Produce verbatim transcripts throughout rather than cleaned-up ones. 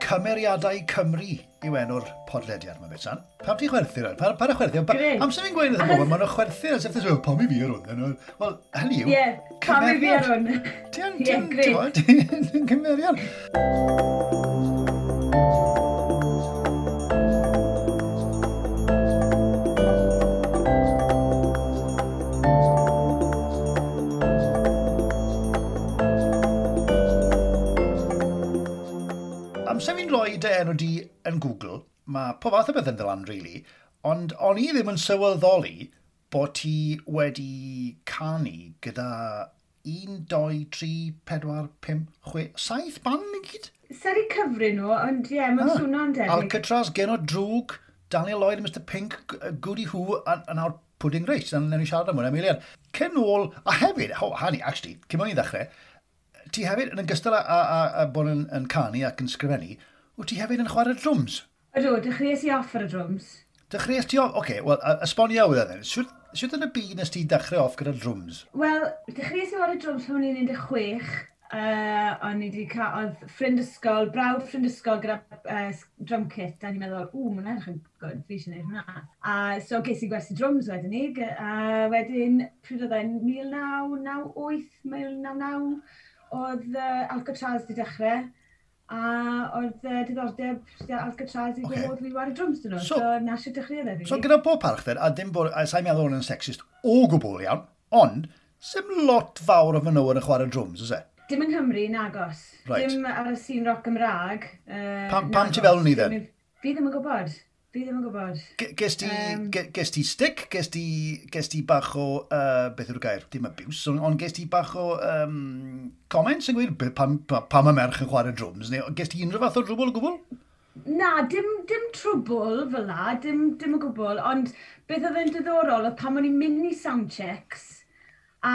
Cymeriadau Cymru yw enw'r podlediad yma, Betsan. Pam ti'n chwerthu rhaid? Pa, pa chwerthu? Pa, amser fi'n gweud wrth y bobl, maen nhw'n chwerthu as if they say, pam i fi ar hwn? Wel, hynny yw, Ie, pam i fi ar hwn? Ti'n, ti'n, ti'n, ti'n cymeriad. Amser fi'n rhoi dy enw di yn Google, mae pob fath o beth yn ddod really, ond o'n i ddim yn sylweddoli bod ti wedi canu gyda un, dau, tri, pedwar, pump, chwe, saith band i gyd? Sa'n i cyfri nhw, ond ie, yeah, mae'n ah, swnio'n debyg. Alcatraz, Genod Drwg, Daniel Lloyd, Mister Pink, Goody Who, a, a nawr Pudding Race, a newn ni siarad am hwnna, Emilian. Cyn ôl, a hefyd, oh, honey, actually, cyn o'n i ddechrau, ti hefyd, yn ogystal â, a, a, a bod yn, yn canu ac yn sgrifennu, wyt ti hefyd yn chwarae drums? Ydw, dechreuais i off ar y drums. Dechreuais ti off? Oce, okay, wel, esbonio wydda then. Sut, sut yn y byd nes ti dechrau off gyda'r drums? Wel, dechreuais i chwarae drums pan o'n i'n un deg chwech. Uh, o'n i wedi cael, oedd ffrind ysgol, brawd ffrind ysgol gyda uh, drum kit, a ni'n meddwl, ww, mae'n edrych yn good, fi eisiau gwneud hwnna. A so ges i gwersi drums wedyn ni, a wedyn, pryd oedd e'n mil naw naw wyth, mil naw naw, oedd uh, Alcatraz wedi dechrau, a oedd uh, diddordeb Alcatraz i okay. Gwybod fi wario drums dyn nhw. So, so na sy'n dechrau dde fi. So gyda pob parch then, a dim bod, a sa'n meddwl hwn yn sexist o gwbl iawn, ond sim lot fawr o fenywod yn chwarae drums, oes e? Dim yng Nghymru, nagos. Right. Dim ar y sîn roc Gymraeg. Uh, pam, pam ti fel ni then? Fi ddim yn gwybod. Fi ddim yn gwybod. Ges ti, um, ges ti stick? Ges ti, ges ti bach o, uh, beth yw'r gair? Dim abuse, ond on ges ti bach o um, comments yn gweud pam, pam, pam y merch yn chwarae drums? Neu ges ti unrhyw fath o drwbl o gwbl? Na, dim, dim trwbl fel la, dim, dim o gwbl, ond beth oedd yn diddorol oedd pan o'n i'n mynd i soundchecks a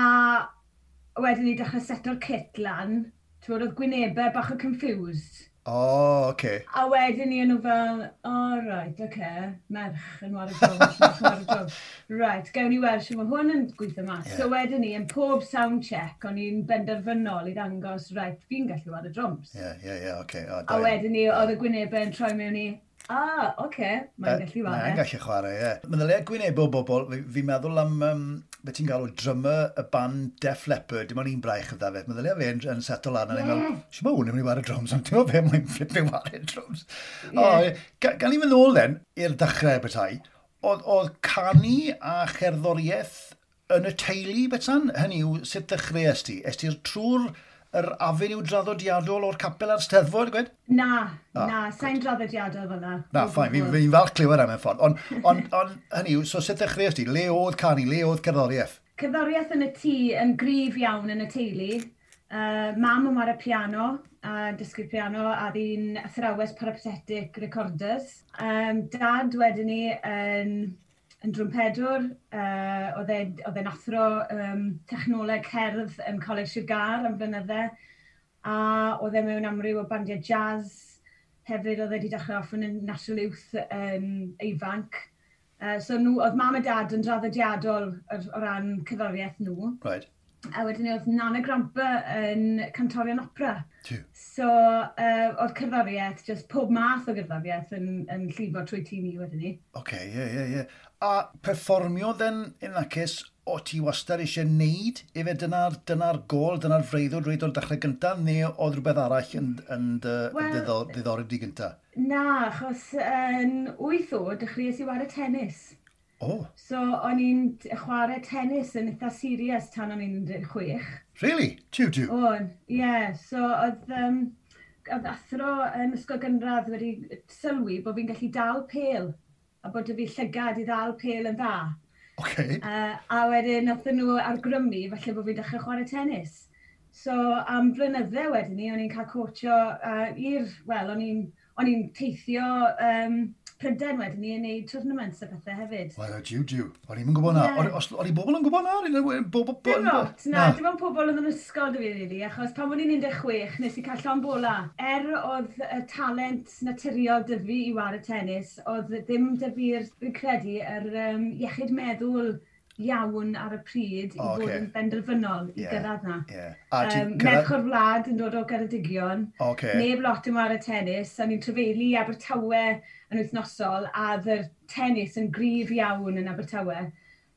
wedyn ni dechrau seto'r kit lan, ti'n bod, oedd gwynebau bach o confused. O, oh, oce. Okay. A wedyn ni yn nhw fel, oh, right, oce, okay, merch yn wario drums, merch yn wario drums. Right, gawn ni weld sy'n mae hwn yn gweithio mas. Yeah. So wedyn ni, yn pob sound check, o'n i'n benderfynol i ddangos, right, fi'n gallu wario drums. Ie, ie, ie, oce. A wedyn ni, oedd y gwynebau yn troi mewn i, ah, oce, okay, mae'n gallu chwarae. Mae'n gallu chwarae, ie. Meddylia gwynebau o bobl, fi'n meddwl am, um, beth ti'n galw, drummer y band Def Leppard, dim ond un braich ydda fe. Meddylia fe yn, yn settle lan, a yeah. ni'n meddwl, sy'n ma hwn yn mynd i wario drums, ond ti'n meddwl fe, mae'n flipping wario drums. Yeah. O, ga, gan i fynd nôl then, i'r dechrau bethau, oedd, oedd canu a cherddoriaeth yn y teulu, Betsan? Hynny yw, sut dechreuais ti? Es ti'r trwy'r yr avenue draddodiadol o'r capel a'r Steddfod, gwed? Na, ah, na, sa'n draddodiadol fel na. Na, fine, fi'n fi falch clywed am y ffordd. Ond, on, on, hynny yw, so sut ddechreuais ti? Le oedd canu, le oedd cerddoriaeth? Cerddoriaeth yn y tŷ yn gryf iawn yn y teulu. Uh, mam yn chwarae piano, a dysgu piano, a ddi'n athrawes peripatetic recorders. Um, dad wedyn ni yn yn drwmpedwr, uh, oedd e'n athro um, technoleg cerdd yn Coleg Sir Gâr am flynydde, a oedd e mewn amryw o bandiau jazz, hefyd oedd e wedi dechrau off yn National Youth yn ifanc. Uh, so nhw, oedd mam a dad yn draddodiadol o ran cerddoriaeth nhw. Right. A wedyn oedd Nana Grandpa yn cantorion opera. Tiw. So, uh, oedd cerddoriaeth, just pob math o gerddoriaeth yn, yn llifo trwy tŷ ni wedyn ni. Oce, ie, ie, ie. A perfformio then, in that case, o ti wastad eisiau neud? Efe dyna'r dyna gol, dyna'r freuddwyd reit o'r dechrau gyntaf, neu oedd rhywbeth arall yn, yn dy, well, diddori di gyntaf? Na, achos yn wyth oed, dechreuais i wario tennis. Oh. So, o'n i'n chwarae tennis yn eitha serious tan o'n i'n un deg chwech. Really? Tiw, tiw? O'n, ie. Yeah. So, oedd, um, oedd athro yn ysgol gynradd wedi sylwi bod fi'n gallu dal pêl a bod fi llygad i ddal pêl yn dda. Okay. Uh, a wedyn, nathon nhw argrymu falle bod fi'n dechrau chwarae tennis. So, am blynydde wedyn ni, o'n i'n cael coachio uh, i'r, wel, o'n i'n o'n i'n teithio um, Prydain wedyn ni yn neud tournaments a pethau hefyd. Wel, jiw, jiw. O'n i'n gwybod na. Yeah. O'n i bobl yn gwybod na? Dim lot, na. Dim ond pobl oedd yn ysgol dy fi, really, achos pan o'n i'n un deg chwech nes i cael llond bola. Er oedd y talent naturiol dy fi i wario tennis, oedd ddim dy fi'r, fi'n credu, yr um, iechyd meddwl iawn ar y pryd i O, fod ocê. yn benderfynol i Ie. gyrraedd na. Ie. A ti'n Um, cyrraedd merch o'r wlad yn dod o Geredigion. Oce. Neb lot yn ware tennis. O'n i'n trafeili i Abertawe yn wythnosol, a oedd yr tennis yn gryf iawn yn Abertawe.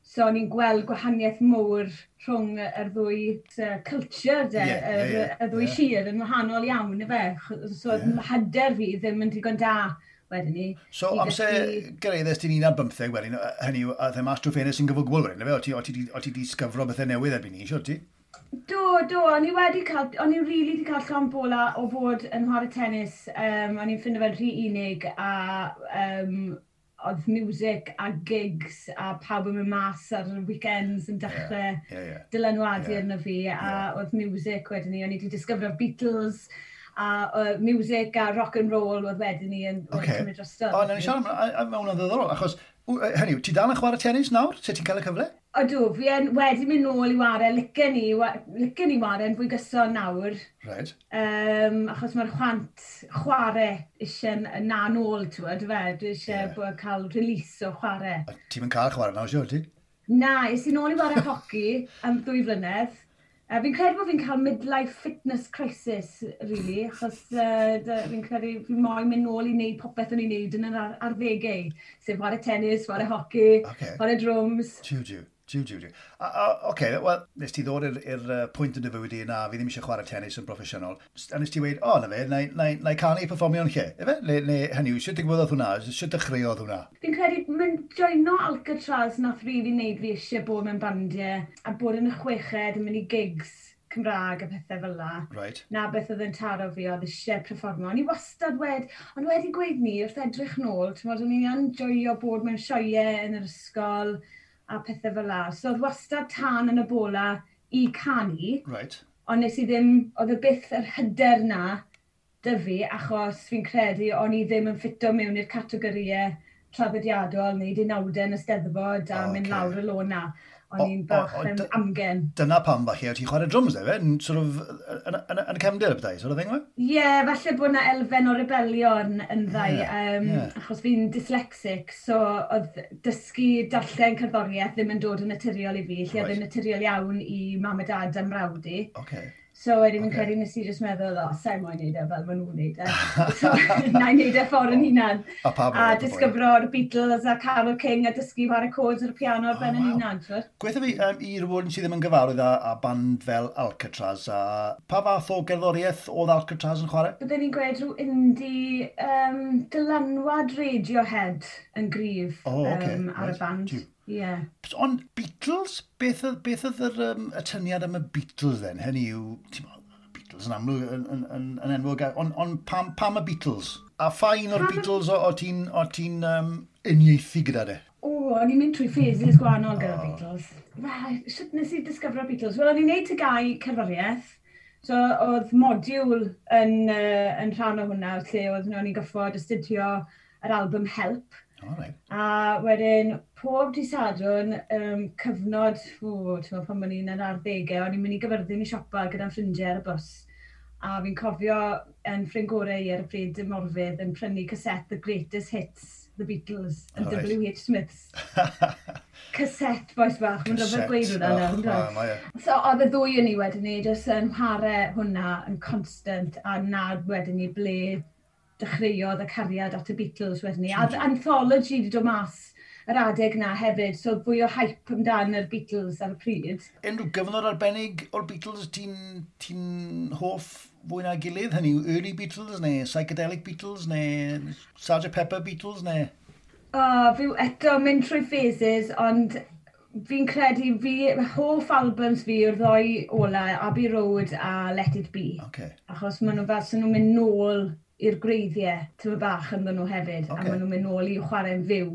So o'n i'n gweld gwahaniaeth mowr rhwng yr ddwy uh, culture, de, Ie, yr, ie, ie, y ddwy ie. sir yn wahanol iawn, ife. So oedd Ie. hyder fi ddim yn digon da wedyn ni. So, i amser ddysgu- gyrhaeddes ti'n un ar bymtheg wedyn, yy, hynny yw, a the mas trwy ffenest sy'n gyfwgwl wedyn, ife? O ti, o ti, di- o ti di disgyfro bethau newydd erbyn ni, siwr ti? Do, do, o'n i wedi cael, o'n i really wedi cael llond bola o fod yn chwarae tennis. Um, o'n i'n ffindo fe'n rhy unig a um, oedd music a gigs a pawb yn mynd mas ar y weekends yn dechrau Ie, ie. dylanwadu Ie. arno fi a Ie. oedd music wedyn ni, o'n i wedi disgyfro Beatles a uh, music a rock and roll oedd wedyn ni yn wedi Ocê. cymryd drosto. O, nawn ni siarad am, a- a- mae hwnna'n ddiddorol, achos, w- yy, hynny yw, ti dal yn chwarae tennis nawr? Sut ti'n cael y cyfle? Ydw, fi yn wedi mynd nôl i ware, licen i, wa- licen i ware yn fwy gyson nawr. Right. Um, achos mae'r chwant chwarae eisiau na nôl, ti'n gwybod, fe? Dwi eisiau Ie. yeah. cael release o chwarae. A ti'n mynd cael chwarae nawr, siwr ti? Na, es i nôl i ware hoci am ddwy flynedd. Uh, fi'n credu bod fi'n cael midlife fitness crisis, really, achos uh, fi'n credu fi moyn mynd nôl i wneud popeth o'n i'n wneud yn yr ar arddegau. Sef chwarae tennis, chwarae hoci, Ocê. chwarae drums. Jiw, jiw. Jiw, jiw, jiw. A, a, Oce, wel, nes ti ddod i'r i'r, uh, pwynt yn dy fywyd i na, fi ddim eisiau chwarae tennis yn broffesiynol. A nes ti weud, o, na fe, na, i- na, i- na i canu perfformio'n lle. Ife? Neu, neu hynny yw, sut digwyddodd hwnna? Sut dechreuodd hwnna? Fi'n credu mynd joino Alcatraz nath really wneud fi eisiau bod mewn bandiau a bod yn y chweched yn mynd i gigs Cymraeg a pethau fel la. Right. Na beth oedd yn taro fi, oedd eisiau perfformio. O'n i wastad wed, ond wedi gweud ni, wrth edrych nôl, ti'n modd, o'n i'n enjoyo bod mewn sioeau yn yr ysgol a pethau fel la. So oedd wastad tân yn y bola i canu, Right. ond nes i ddim, oedd y byth yr hyder na 'da fi, achos fi'n credu o'n i ddim yn ffito mewn i'r categorïau traddodiadol neu unawdau yn y Steddfod a O, mynd ocê. lawr y lôn na. O, O'n i'n bach o, o, yn dy- amgen. Dyna pam falle, o ti'n chwarae drums, efe? Yn sort of, yn, yn, yn y cefndir y bethau, sort of thing, we? Ie, yeah, falle bod na elfen o rebellion yn ddau, Ie, um, ie. achos fi'n dyslexic, so oedd dysgu darllen cerddoriaeth ddim yn dod yn naturiol i fi, lle oedd Right. yn naturiol iawn i mam a dad am mrawd i. Oce. So wedyn fi'n Ocê. credu nes i jyst meddwl, o, sa'i moyn neud e fel maen nhw'n neud e. So, na i neud e ffordd yn hunan. A pawb A disgyfro'r Beatles a Carole King a dysgu chwarae chords ar y piano ar Oh, ben yn wow. hunan, t'wod? Gweithio fi um, i rhywun sydd ddim yn gyfarwydd â, â band fel Alcatraz, a pa fath o gerddoriaeth oedd Alcatraz yn chwarae? Byddwn ni'n gweud rhyw indie um, dylanwad Radiohead yn gryf O, ocê, um, ar reit. y band. Jiw. Ie. Yeah. Ond Beatles, beth, oedd- beth oedd yr, um, y tyniad am y Beatles then? Hynny yw, ti'n mo, Beatles yn amlwg yn, yn, yn, yn enwog, ond on, pam, pam y Beatles? A pha un o'r Pam y- Beatles o, o ti'n o ti'n um, uniaethu gyda de? O, o'n i'n mynd trwy phases gwahanol gyda O. Beatles. Wel, sut nes i disgyfro Beatles? Wel, o'n i'n neud T G A U cerddoriaeth. So, oedd modiwl yn, uh, yn rhan o hwnna, lle oedd o'n i'n goffod astudio yr album Help. O, right. A wedyn, pob dydd Sadwrn, um, cyfnod, o, ti'n meddwl, pan o'n i'n yr arddegau, o'n i'n mynd i Gyfyrddin i siopa gyda'n ffrindiau ar y bws. A fi'n cofio yn ffrind gorau i ar y pryd y Morfydd yn prynu cassette The Greatest Hits, The Beatles, yn O, reit. W H. Smiths. Cassette, bois bach, mae'n rhyfedd gweud hwnna Oh, nawr, yndyw e? Mae e. So oedd y ddwy yn ni wedyn ni, jyst yn chwarae hwnna yn constant, a na wedyn ni ble dechreuodd y cariad at y Beatles wedyn ni. A oedd Anthology wedi dod mas yr adeg na hefyd, so oedd fwy o hype amdan yr Beatles ar y pryd. Unrhyw gyfnod arbennig o'r Beatles ti'n ti hoff fwy na gilydd? Hynny yw early Beatles neu psychedelic Beatles neu Sergeant Pepper Beatles neu? O, fi eto mynd trwy phases, ond fi'n credu fi, hoff albums fi yw'r ddoi ola, Abbey Road a Let It Be. Okay. Achos maen nhw fel sy'n nhw'n mynd nôl i'r gwreiddiau, tyma bach ynddyn nhw hefyd, Ocê. a maen nhw'n mynd nôl i chwarae'n fyw.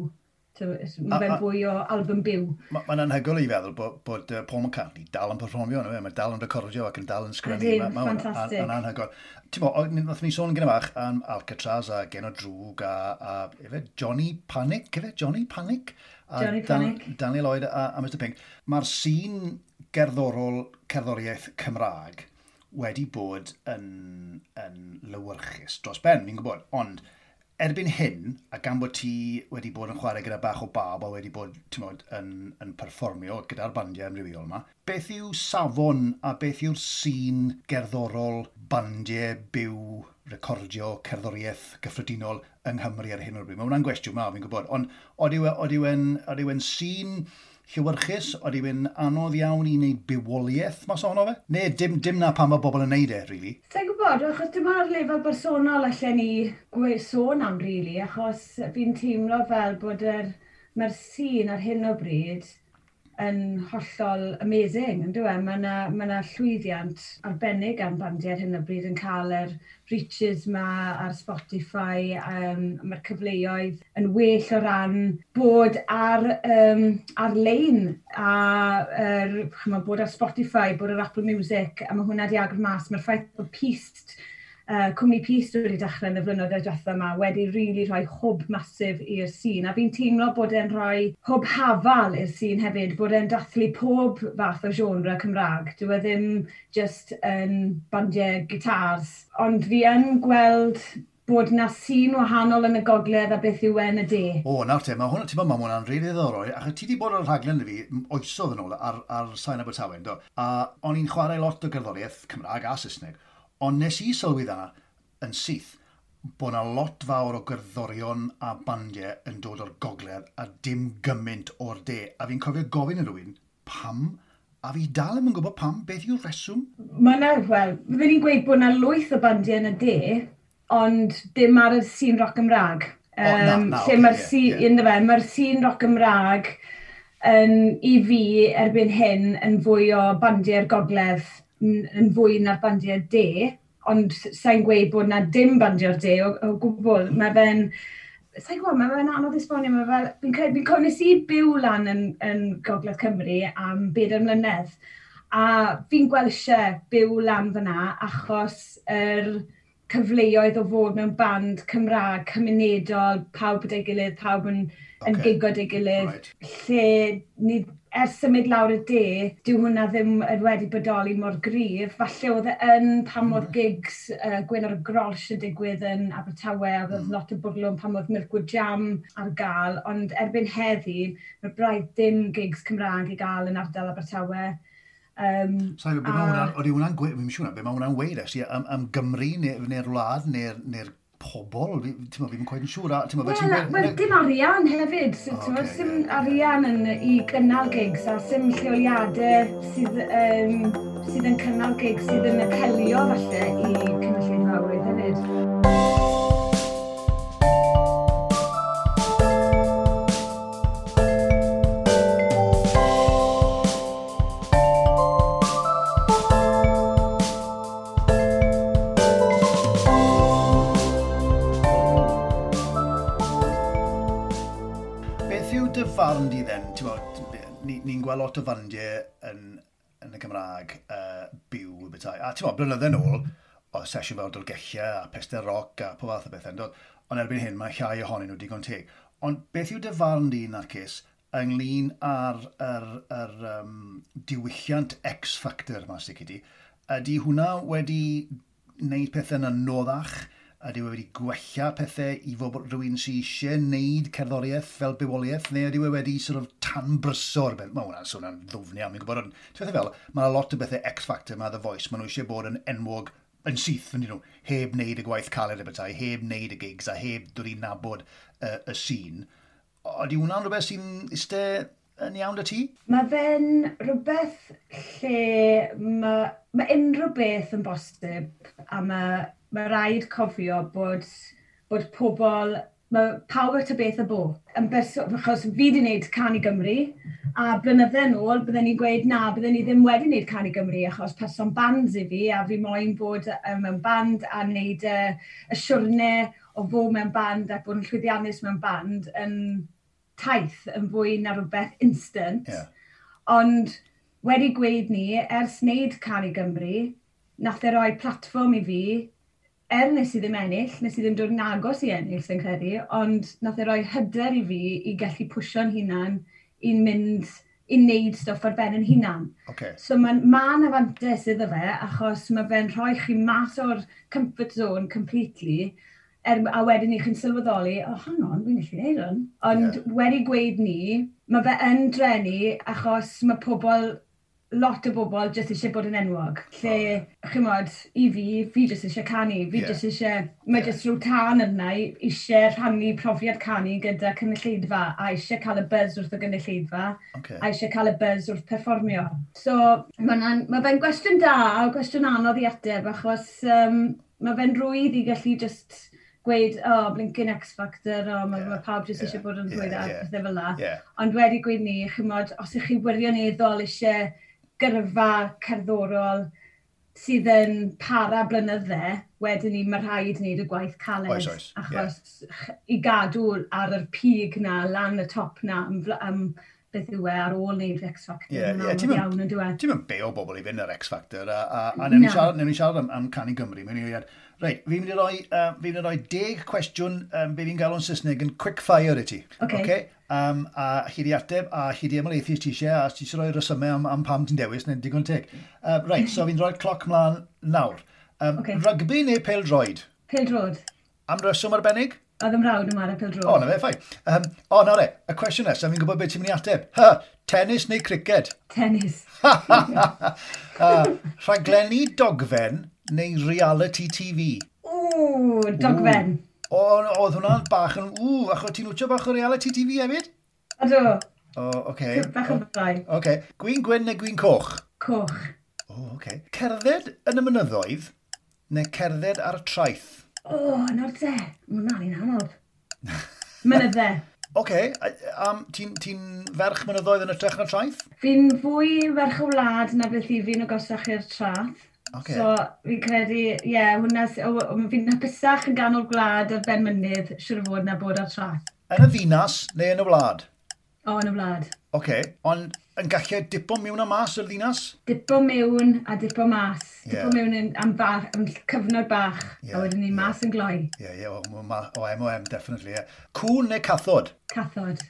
A- Mae'n a- fwy o album byw. Mae'n anhygoel i feddwl bod, bod uh, Paul McCartney dal yn perfformio, no, mae dal yn recordio ac yn dal yn sgrennu. Ydyn, Ma- ma' hwnna ffantastig. Yn anhygoel. Ti'n bo, nath ni sôn gyda bach am Alcatraz a Genod Droog a, a efe, Johnny Panic, efe? Johnny Panic? A Johnny Dan, Panic. Daniel Lloyd a, a Mister Pink. Mae'r sîn gerddorol cerddoriaeth Cymraeg wedi bod yn, yn lywyrchus dros ben, fi'n gwybod, ond Erbyn hyn, a gan bod ti wedi bod yn chwarae gyda bach o bab a wedi bod, ti'n modd, yn, yn perfformio gyda'r bandiau amrywiol yma, beth yw safon a beth yw'r sîn gerddorol, bandiau, byw, recordio, cerddoriaeth gyffredinol yng Nghymru ar hyn o'r bryd? Mae hwnna'n gwestiwn mawr, fi'n gwybod, ond oed yw e'n sîn llewyrchus, oed yw e'n anodd iawn i wneud bywoliaeth mas ohono fe? Neu dim, dim na pam mae bobl yn neud e, really? Sa'n gwybod, achos dim ond ar lefel bersonol allan ni gwe sôn am, really, achos fi'n teimlo fel bod yr, mae'r sîn ar hyn o bryd yn hollol amazing, yn dyw e? Mae yna ma na llwyddiant arbennig am bandiau ar hyn o bryd yn cael yr reaches ma ar Spotify, um, mae'r cyfleoedd yn well o ran bod ar, um, ar-lein a er, ch'mo, bod ar Spotify, bod ar Apple Music, a mae hwnna di agor mas. Mae'r ffaith bod Pist, uh, cwmni Pist wedi dechrau yn y flynyddoedd diwethaf yma wedi really rhoi hwb masif i'r sîn. A fi'n teimlo bod e'n rhoi hwb hafal i'r sîn hefyd, bod e'n dathlu pob fath o genre Cymraeg. Dyw e ddim just yn bandiau gitars. Ond fi yn gweld bod na sîn wahanol yn y gogledd a beth yw e yn y de. O, nawr te, mae hwnna, ti'n meddwl, mae hwnna'n rili ddiddorol, achos ti wedi bod ar y rhaglen i fi oesodd yn ôl ar, ar Sain Abertawe, do? A o'n i'n chwarae lot o gerddoriaeth Cymraeg a Saesneg, ond nes i sylwi dda yn syth bod 'na lot fawr o gerddorion a bandiau yn dod o'r gogledd a dim gymaint o'r de. A fi'n cofio gofyn i rywun, pam? A fi dal ddim yn gwybod pam, beth yw'r reswm? Mae 'na, wel, fydden ni'n gweud bod 'na lwyth o bandiau yn y de, ond dim ar y sîn roc Gymraeg. O, na, Um, na, lle ocê, mae'r ie, sîn, ie. yndyfe, mae'r sîn roc Gymraeg yn, i fi erbyn hyn yn fwy o bandiau'r gogledd yn, yn fwy na'r bandiau de, ond sa'n gweud bod na dim bandiau'r de o, o gwbl. Mae fe'n, sa'n gwybod, mae fe'n anodd esbonio, mae fel, fi'n credu, fi'n cofio nes i byw lan yn, yn Gogledd Cymru am bedair mlynedd, a fi'n gweld eisiau byw lan fyna achos yr cyfleoedd o fod mewn band Cymraeg, cymunedol, pawb gyda'i gilydd, pawb yn, yn Ocê. gigo gyda'i gilydd, Right. lle ni, ers symud lawr y de, dyw hwnna ddim yn wedi bodoli mor gryf. Falle oedd e yn pan oedd gigs uh, Gwyn ar y Grolsch yn digwydd yn Abertawe, a oedd lot o bwrlwm pan oedd Milkwood Jam ar gael, ond erbyn heddi, mae braidd dim gigs Cymraeg i gael yn ardal Abertawe. Um, Sa'i, be mae a- hwnna'n, oeddi hwnna'n gwe, fi'n siŵr na, be mae hwnna'n weud actually, am, am Gymru neu'r neu wlad neu'r neu pobol, fi, ti'n meddwl, fi'n quite yn siŵr. a Ti'n meddwl, Wel, ti'n wel, dim arian hefyd. So, O, oh, ocê, sim ie, ie. arian yn, i gynnal gigs a sim lleoliadau sydd, um, sydd yn cynnal gigs sydd yn apelio falle i cynulleidfaoedd hefyd. Beth yw dy farn di then? Ti'n bod, ni'n ni gweld lot o fandiau yn, yn y Gymraeg uh, byw y bethau. A ti'n bod, blynydde nôl, o sesiwn fel Dolgellau a Pester Rock a pob fath o bethau. Dod. Ond erbyn hyn, mae llai ohonyn nhw digon teg. Ond beth yw dy farn di, Narcis, ynglyn â'r yr, yr, um, diwylliant X-Factor yma sydd gyda? Ydy hwnna wedi wneud pethau'n anoddach? Ydy wedi gwella pethau i fod rhywun sydd eisiau wneud cerddoriaeth fel bywoliaeth, neu ydy e wedi sort of tanbryso'r beth? Mae hwnna'n swnio'n ddwfn iawn, fi'n gwybod, ond ti'n fel, mae 'na lot o bethau X-Factor, mae The Voice, maen nhw eisiau bod yn enwog yn syth, yn nhw, heb wneud y gwaith caled y bethau, heb wneud y gigs a heb dod i nabod uh, y sîn. Ydy hwnna'n rhywbeth sy'n eistedd yn iawn 'da ti? Mae fe'n rhywbeth lle mae, mae unrhyw beth yn bosib a mae, mae rhaid cofio bod, bod pobl, mae pawb at y beth y bo. Yn berso, achos fi wedi wneud Cân i Gymru, a blynydde nôl bydden ni'n gweud na, bydden ni ddim wedi wneud Cân i Gymru achos person bands i fi, a fi moyn bod uh, mewn band a wneud y, y siwrne o fod mewn band a bod yn llwyddiannus mewn band yn taith yn fwy na rhywbeth instant. Ie. Ond wedi gweud ni, ers wneud Cân i Gymru, nath e roi platfform i fi, er nes i ddim ennill, nes i ddim dod yn agos i ennill, sy'n credu, ond nath e roi hyder i fi i gallu pwsio'n hunan i'n mynd i wneud stwff ar ben yn hunan. Okay. So mae'n ma 'na fantais iddo fe, achos mae fe'n rhoi chi mas o'r comfort zone completely, Er, a wedyn ni chi'n sylweddoli, "Oh, hang on, fi'n gallu neud hwn." Ond yeah. wedi gweud ni, mae fe yn drueni achos mae pobl, lot o bobl jyst eisiau bod yn enwog. Lle, oh. chimod, i fi, fi jyst eisiau canu. Fi yeah. jyst eisiau, mae yeah. jyst rhyw tân yna eisiau rhannu profiad canu gyda cynulleidfa a eisiau cael y buzz wrth y gynulleidfa okay. a eisiau cael y buzz wrth perfformio. So, mae ma fe'n gwestiwn da a gwestiwn anodd i ateb achos um, mae fe'n rwydd i gallu just gweud, "Oh, blinking X Factor, oh, mae yeah, ma pawb jyst yeah, eisiau bod yn rhywun yeah, a pethau fel la." Yeah. Ond wedi gweud ni, chymod, os ych chi wirioneddol eisiau gyrfa cerddorol sydd yn para blynydde, wedyn ni mae rhaid wneud y gwaith caled. Oes, oes. Achos yeah. i gadw ar yr pig na, lan y top na, am, am beth yw e ar ôl wneud X Factor. Ie, yeah, yeah, iawn yn dweud. Ti'n mynd beio bobl i fynd ar X Factor, a, a, a newn ni siarad, newn ni siarad am, am Cân i Gymru. Mewn i Reit, fi'n mynd i roi, uh, fi'n mynd i roi deg cwestiwn um, be fi'n gael o'n Saesneg yn quick fire i ti. Okay. Okay? Um, a chi di ateb, a chi di ymhelaethu ti eisiau, a ti eisiau rhoi resymau am, am pam ti'n dewis, neu'n digon teg. Uh, reit, so fi'n rhoi'r cloc mlaen nawr. Um, okay. Rygbi neu pêl-droed? Pêl-droed. Am reswm arbennig? Oedd 'y mrawd yn chwarae pêl-droed. O, na fe, fine. Um, o, nawr e, y cwestiwn nesaf, fi'n gwybod beth ti'n mynd i ateb. Ha, tennis neu criced? Tennis. uh, rhaglenni dogfen neu reality T V? Ww, dogfen. O, oedd hwnna'n bach yn... Ww, achos ti'n wtio bach o reality T V hefyd? Ydw. O, oce. Okay. Bach o bai. Oce. Okay. Gwin gwyn neu gwin coch? Coch. O, oce. Okay. Cerdded yn y mynyddoedd neu cerdded ar y traeth? O, oh, nawr te. Mae hwnna'n un anodd. Mynydde. Oce, okay. um, ti'n ti ferch mynyddoedd yn hytrach na traeth? Fi'n fwy ferch o wlad na beth i fi'n agosach i'r traeth. Okay. So, fi'n credu, ie, yeah, hwnna, fi'n hapusach yn ganol gwlad ar ben mynydd, siwr o fod na bod ar traeth. Yn y ddinas neu yn y wlad? O, yn y wlad. Oce, okay. Ond yn gallu dipo mewn a mas o'r ddinas? Dipo mewn a dipo mas. Yeah. Dipo mewn yn, am, bach, am cyfnod bach, yeah, a wedyn ni yeah. mas yn gloi. Ie, yeah, ie, yeah, o, o M O M, definitely, ie. Yeah. Cŵn neu cathod? Cathod.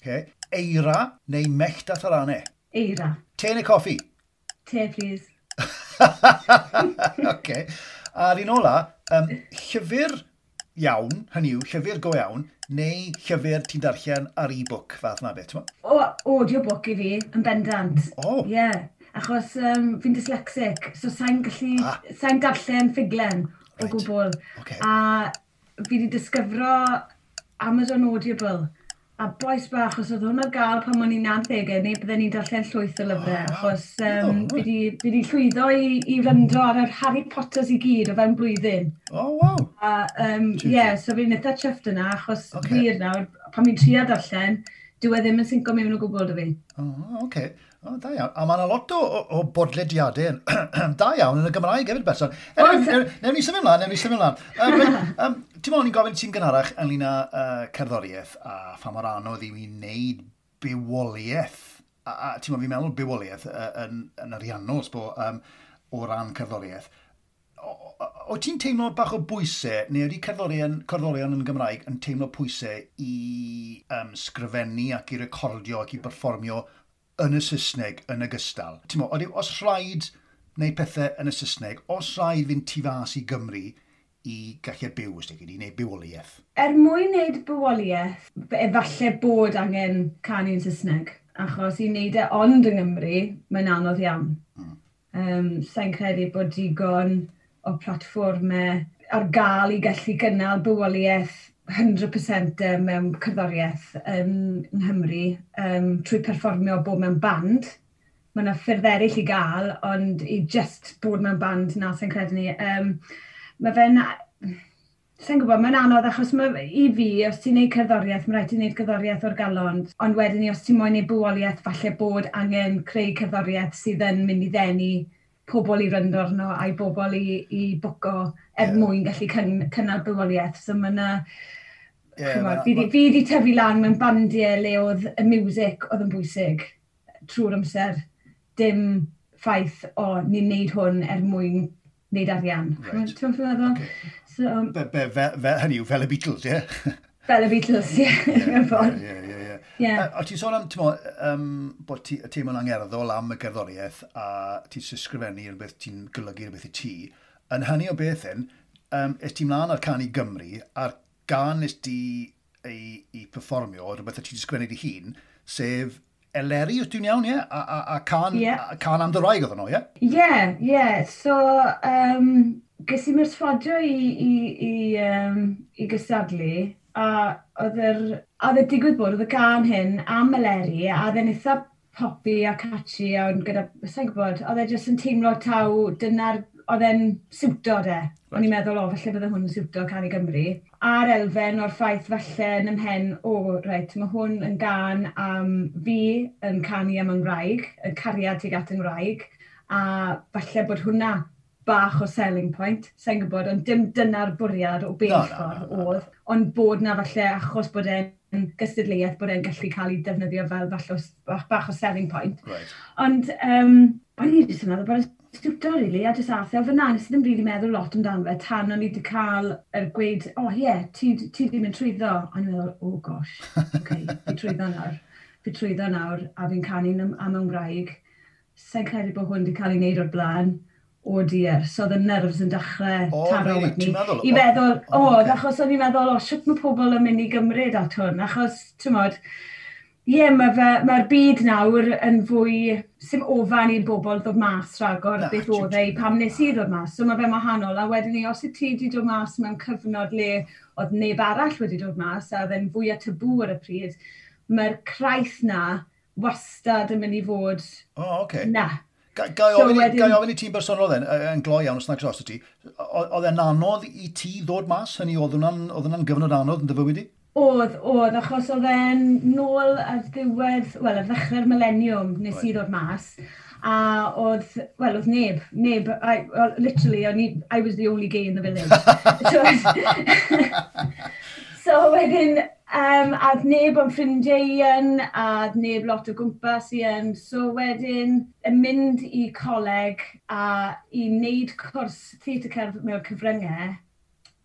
Okay. Eira neu mellt a tharanau? Eira. Te neu coffi? Te, please. Okay. A'r un ola, um, llyfr iawn, hynny yw, llyfr go iawn, neu llyfr ti'n darllen ar e-book, fath na beth, ti'n O, audiobook i fi, yn bendant. O. Ie, yeah, achos um, fi'n dyslexic, so sa'n gallu, ah. sa'n darllen ffuglen o right. gwbl. Okay. A fi wedi disgyfro Amazon Audible. A bois bach, os oedd hwn ar gael pan o'n i'n nawdegau, neu bydden ni'n darllen llwyth o lyfrau, Oh, achos um, oh, fi wedi llwyddo i, i wrando ar yr Harry Potters i gyd o fewn blwyddyn. Oh, wow. A, um, yeah, so fi'n eitha chuffed yna, achos Ocê. okay. wir nawr, pan fi'n trio darllen, dyw e ddim yn sinco mewn o gwbl 'da fi. Oh, oce. Oh, da iawn. A mae yna lot o, o, o bodlediadau yn da iawn yn y Gymraeg hefyd, Betsan. Oes. Newn ni symud ymlaen, newn ni symud ymlaen. Um, reit, um, ti'n meddwl, ni'n gofyn ti'n gynharach ynglyn â uh, cerddoriaeth a pha mor anodd i mi wneud bywoliaeth. A, a ti'n meddwl, fi'n meddwl bywoliaeth uh, yn, yn ariannol, sbo, um, o ran cerddoriaeth. O, o, o ti'n teimlo bach o bwysau, neu ydy cerddorion, cerddorion yn Gymraeg yn teimlo pwysau i um, sgrifennu ac i recordio ac i berfformio yn y Saesneg yn ogystal? Ti'n meddwl, os rhaid wneud pethau yn y Saesneg, os rhaid fynd tu fas i Gymru i gallu byw, os ti'n i wneud bywoliaeth? Er mwyn wneud bywoliaeth, efallai bod angen canu yn Saesneg, achos i wneud e ond yng Nghymru, mae'n anodd iawn. Mm. Um, Sa'n credu bod digon o platfformau ar gael i gallu gynnal bywoliaeth cant y cant mewn cerddoriaeth yn Nghymru um, trwy perfformio bod mewn band. Mae yna ffyrdd eraill i gael, ond i just bod mewn band na sa'n credu ni. Um, mae fe'n... Sa'n gwybod, mae'n anodd achos ma, i fi, os ti'n neud cerddoriaeth, mae rhaid ti wneud cerddoriaeth o'r galon. Ond wedyn ni, os ti'n moyn neud bywoliaeth, falle bod angen creu cerddoriaeth sydd yn mynd i ddenu pobl i wrando arno a i bobl i, i bwco er Ie. yeah. mwyn gallu cyn, cynnal bywoliaeth. So mae yna... Ie, Ch'mod, ma' fi ma' 'di fi 'di tyfu lan mewn bandiau le oedd y music oedd yn bwysig trwy'r amser. Dim ffaith o ni'n neud hwn er mwyn neud arian. Reit. Ti'n meddwl? Ocê. So, Be, be, fe, fe, hynny yw, fel y Beatles, ie? Fel y Beatles, ie, mewn ffordd. Ie, ie, ie. Ie. O ti'n sôn am, ti'n mo, um, bod ti teimlo'n angerddol am y gerddoriaeth a ti'n sgrifennu rhywbeth, ti'n golygu rhywbeth i ti. Yn hynny o beth hyn, um, es ti mlaen ar Cân i Gymru, a'r gân nes ti ei, ei performio, rhywbeth y ti wedi sgwennu dy hun, sef Eleri, os dwi'n iawn, ie? A, a, a cân, yeah. a cân am dy wraig oedd hwnnw, ie? Ie, ie. So, um, ges i merswadio i, i, i, um, i gystadlu, a oedd yr, a oedd y digwydd bod, oedd y gân hyn am Eleri, a oedd e'n eitha poppy a catchy, a gyda, sa'n gwybod, oedd e jyst yn teimlo taw, dyna'r, oedd e'n siwto de. Right. O'n i'n meddwl, o, falle bydde hwn yn siwto Cân i Gymru. A'r elfen o'r ffaith falle yn ymhen, o, reit, mae hwn yn gân am fi yn canu am yng Nghymraeg, y cariad tuag at yng Nghymraeg, a falle bod hwnna bach o selling point, sa'n gwybod, ond dim dyna'r bwriad o bell ffordd oedd, ond bod na falle achos bod e'n gystadleuaeth bod e'n gallu cael ei defnyddio fel falle bach, bach o selling point. Right. Ond um, o'n i jyst yn meddwl bod e'n siwto, really, a jyst ath e o fyna. Nes i ddim really meddwl lot amdano fe tan o'n i wedi cael yr gweud, "O oh, ie, yeah, ti, ti ddim yn trwyddo." A o'n i'n meddwl, "Oh gosh, okay, fi trwyddo nawr. Fi trwyddo nawr, a fi'n canu am, am yng Nghymraeg. Sa'n credu bod hwn wedi cael ei wneud o'r blaen. Oh dear." So oedd y nerves yn dechrau oh, taro really? Ni. I feddwl, o, oh, okay. Achos o'n i'n meddwl, o, sut mae pobl yn mynd i gymryd at hwn? Achos, ti'n modd, ie, yeah, mae'r mae byd nawr yn fwy, sim ofan i'r bobl ddod mas rhagor na, beth oedd e pam nes i ddod mas. So mae fe'n wahanol. A wedyn ni, os y ti wedi dod mas mewn cyfnod le oedd neb arall wedi dod mas, a oedd e'n fwy o tabw ar y pryd, mae'r craith na wastad yn mynd i fod Oh, okay. na. Ga, ga i ofyn, so, wedyn, ga ofyn i ti'n bersonol then, yn gloi iawn os nag os ti, oedd e'n anodd i ti ddod mas? Hynny, oedd hwnna'n gyfnod anodd yn dy fywyd i? Oedd, oedd, achos oedd e'n nôl ar ddiwedd, wel, ar ddechrau'r millennium nes right. i ddod mas. A oedd, wel, oedd neb, neb, I, well, literally, o'n i, I was the only gay in the village. So, so wedyn, um, a oedd neb o'n ffrindiau i yn, a oedd neb lot o gwmpas i yn. So wedyn, yn mynd i coleg a i wneud cwrs theatr cerdd mewn cyfryngau,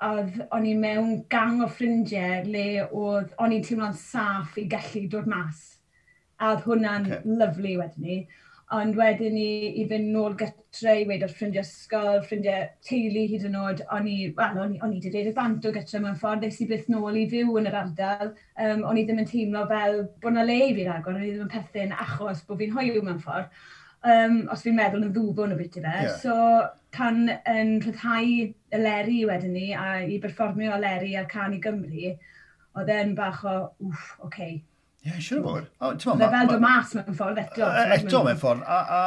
oedd o'n i mewn gang o ffrindiau le oedd o'n i'n teimlo'n saff i gallu dod mas. A oedd hwnna'n okay. lyfli wedyn ni. Ond wedyn ni i fynd nôl gytre i weud wrth ffrindiau ysgol, ffrindiau teulu hyd yn oed, o'n i, wel, o'n i, o'n i wedi dweud y bant o gytre mewn ffordd, es i byth nôl i fyw yn yr ardal. Um, o'n i ddim yn teimlo fel bod 'na le i fi ragor, o'n i ddim yn perthyn achos bod fi'n hoyw mewn ffordd. Um, os fi'n meddwl yn ddwfwn o beth i fe. Yeah. So, pan yn rhyddhau Eleri wedyn ni, a i berfformio Eleri ar Cân i Gymru, oedd e'n bach o, wff, oce. Okay. Ie, yeah, siŵr o fod. Oedd e fel dod mas mewn ffordd eto. Eto mewn ffordd, a, a,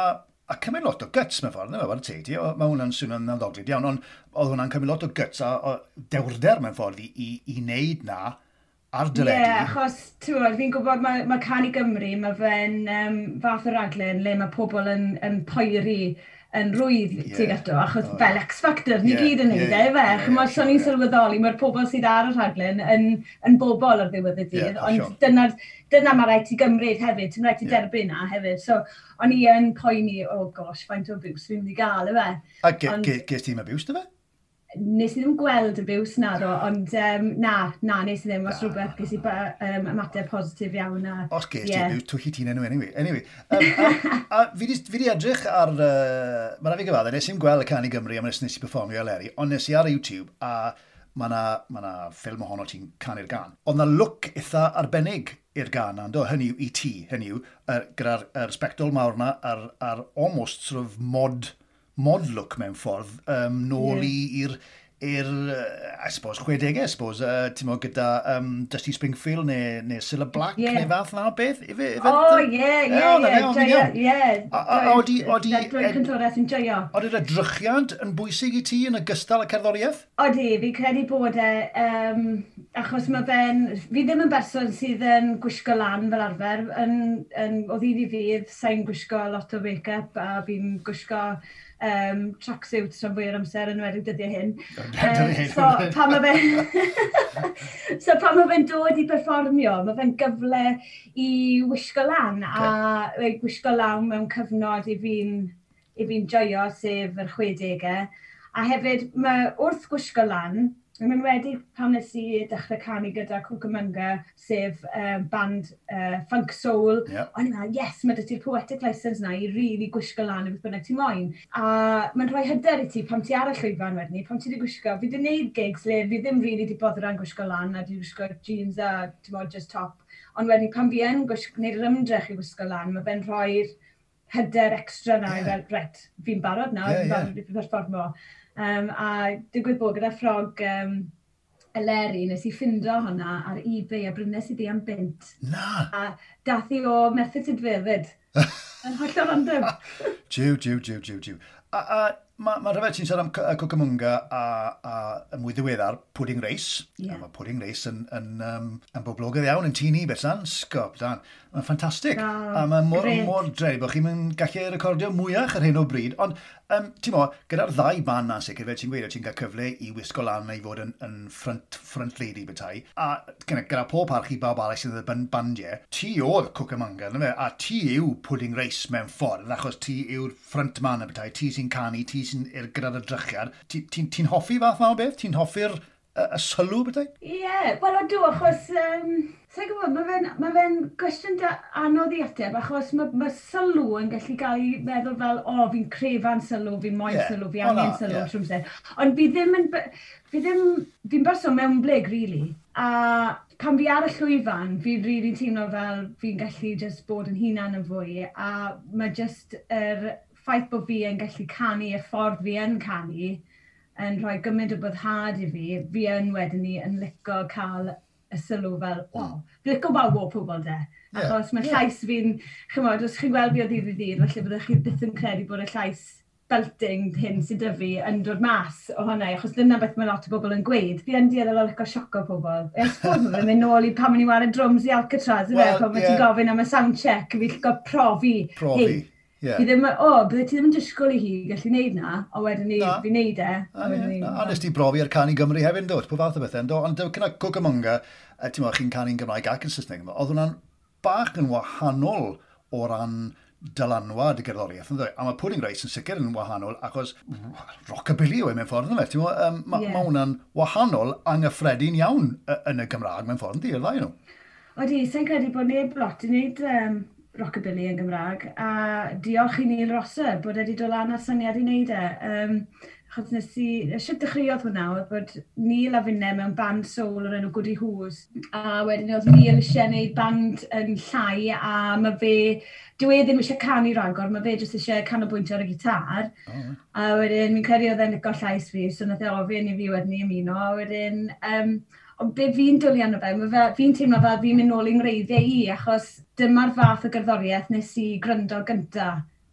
a cymryd lot o guts mewn ffordd, ddim e, teg ti, mae hwnna'n swnio'n nawddoglyd iawn, ond oedd hwnna'n cymryd lot o guts a, a dewrder mewn ffordd i, i, i wneud na ar deledu. Ie, yeah, achos, ti'n gwybod, fi'n gwybod mae, mae Cân i Gymru, mae fe'n um, fath o raglen le mae pobl yn, yn poeri yn rwydd yeah. tuag ato, achos oh, fel X Factor, ni yeah, gyd yn neud yeah, e, fe. Yeah, Chymod, so ni'n sylweddoli, mae'r pobl sydd ar y rhaglen yn, yn bobl ar ddiwedd y dydd, yeah, ond sure. dyna, dyna mae rhaid ti gymryd hefyd, ti'n rhaid ti yeah. derbyn na hefyd. So, o'n i yn poeni, oh gosh, faint o abuse fi'n mynd i gael, efe. A ge, ge, ges ti'n abuse, dy fe? Nes i ddim gweld abuse na do, ond um, na, na, nes i ddim, os rhywbeth ges i um, ymateb positif iawn. A, Os ges ti yeah. abuse, twyllu ti'n enw anyway. Anyway, um, a, a fi di, fi di edrych ar, uh, mae rhaid fi gyfadde, nes i'n gweld y Cân i Gymru am nes nes i performio Eleri, ond nes i ar YouTube a mae na, ma na ffilm ohono ti'n canu'r gân. Oedd na look eitha arbennig i'r gân na, do? Hynny yw, i ti, hynny yw, er, gyda'r er sbectol mawr na, a'r, ar almost sort of mod, mod look mewn ffordd, um, nôl yeah. i'r i'r, I suppose, chwedegau, I suppose, uh, ti'n mo, gyda um, Dusty Springfield neu, neu Cilla Black yeah. neu fath na o beth? Ife, ife, oh, ie, ie, ie, ie. A odi, odi... Dwi'n cantores yn joio. Oedi'r edrychiad yn bwysig i ti yn ogystal â cerddoriaeth? Odi, fi credu bod e, um, achos mae fe'n... Fi ddim yn berson sydd yn gwisgo lan fel arfer. Yn, yn, o ddydd i ddydd, sa'n gwisgo lot o make-up a fi'n gwisgo um, tracksuit rhan fwy o'r amser yn enwedig dyddiau hyn. Um, so, pan mae fe... so, pan mae fe'n dod i perfformio, mae fe'n gyfle i wisgo lan okay. a gwisgo lan mewn cyfnod i fi'n i fi'n joio, sef yr chwedegau. A hefyd, mae wrth gwisgo lan, Yn enwedig pan nes i dechrau canu gyda Cucamonga, sef um, band uh, funk soul. Yeah. O'n i'n meddwl, yes, mae 'da ti'r poetic license na i really gwisgo lan i beth bynnag ti moyn. A mae'n rhoi hyder i ti pan ti ar y llwyfan wedyn ni, pan ti wedi gwisgo. Fi wedi gwneud gigs le fi ddim really di boddran gwisgo lan a di gwisgo jeans a, ti'n mod, just top. Ond wedyn pan fi yn gwisgo, gwneud yr ymdrech i wisgo lan, mae fe'n rhoi'r hyder extra na Ie. i fel, reit, fi'n barod nawr, Ie, fi'n ie. barod i perfformo. Um, a digwydd bod gyda ffrog um, Eleri, nes i ffindo hwnna ar eBay a brynes i ddi am bunt. Na! A dath i o Merthyr Tudful fyd. Yn hollol random. Jiw, jiw, jiw, jiw, jiw. A, a mae ma rhyfedd ti'n siarad am C- Cucamonga a, a y mwy ddiweddar, Pudding Race. Ie. A mae Pudding Race yn, yn, um, yn boblogaidd iawn yn tŷ ni, Betsan. Sgop, dan. Mae'n ffantastig. O, A mae mor, grêt. mor drueni bod chi'n gallu recordio mwyach ar hyn o bryd. Ond, um, ti'n mo, gyda'r ddau band na'n sicr, fel ti'n gweud, ti'n cael cyfle i wisgo lan neu fod yn, yn front, front lady bethau. A gyda, gyda pob parch i bawb arall sydd yn y ban- bandiau, ti oedd Cucamonga, na fe? A ti yw Pudding Race mewn ffordd, achos ti yw'r front man y bethau, ti sy'n canu, ti sy'n i'r- gyda'r edrychiad. Ti'n ti, ti hoffi fath ma o beth? Ti'n hoffi'r y, y sylw bethau? Ie, yeah, wel odw, achos, um, sa'n gwybod, mae fe'n ma fe gwestiwn da anodd i ateb, achos mae ma sylw yn gallu cael ei meddwl fel, o, fi'n crefan sylw, fi'n moyn Ie. sylw, fi O, na, angen sylw, ie. yeah. trwy amser. Ond fi ddim yn, b- fi ddim, fi'n berson mewnblyg, really. A pan fi ar y llwyfan, fi'n really teimlo fel fi'n gallu just bod yn hunan yn fwy, a mae just yr ffaith bod fi yn gallu canu y ffordd fi yn canu, yn rhoi gymaint o boddhad i fi, fi yn wedyn ni yn lico cael y sylw fel, o, oh, fi'n lico wawo pobl de. Ie, Achos mae ie. llais fi'n, chymod, os chi'n gweld fi o ddydd i ddydd, falle byddwch chi byth yn credu bod y llais belting hyn sydd 'da fi yn dod mas o hwnna, achos dyna beth mae lot o bobl yn gweud. Fi yn dueddol o lico sioco pobl. I suppose mae fe'n mynd nôl i pan o'n i'n ware drums i Alcatraz, Wel, well, pan ie. yeah. ti'n gofyn am y sound check, fi'n lico profi. Profi, Hey, ie. Fi ddim, o, bydde ti ddim yn disgwyl i hi gallu neud na, a wedyn ni, Na. fi'n neud e. A, A wedyn ie, ni, na, a nes ti brofi ar Cân i Gymru hefyd, do? Pob fath o bethau, do? Ond gyda Cucamonga, yy, ti'n meddwl, chi'n canu'n Gymraeg ac yn Saesneg, oedd hwnna'n bach yn wahanol o ran dylanwad y gerddoriaeth, ynddo? A mae Pudding Race yn sicr yn wahanol, achos rockabilly yw e mewn ffordd, ynddo fe? Ti'n meddwl, um, ma, Ie. ma hwnna'n wahanol anghyffredin iawn y- yn y Gymraeg mewn ffordd, yndi, y ddau nhw. Odi, sa'n credu bod neb lot i wneud um, rockabilly yn Gymraeg, a diolch i Neil Rosser bod wedi dod lan â'r syniad i wneud e. Um, achos nes i, shwt dechreuodd hwnna, oedd bod Neil a finne mewn band soul o'r enw Goody Who's, a wedyn oedd Neil eisiau gwneud band yn llai, a mae fe, dyw e ddim eisiau canu ragor, mae fe jyst eisiau canolbwyntio ar y gitar. Oh, A wedyn, fi'n credu oedd e'n licio llais fi, so nath e ofyn i fi wedyn i ymuno, a wedyn, um, ond be fi'n dwlu arno fe, ma' fe, fi'n teimlo fel fi'n mynd nôl i'n ngwreiddiau i, achos dyma'r fath o gerddoriaeth nes i gryndo gynta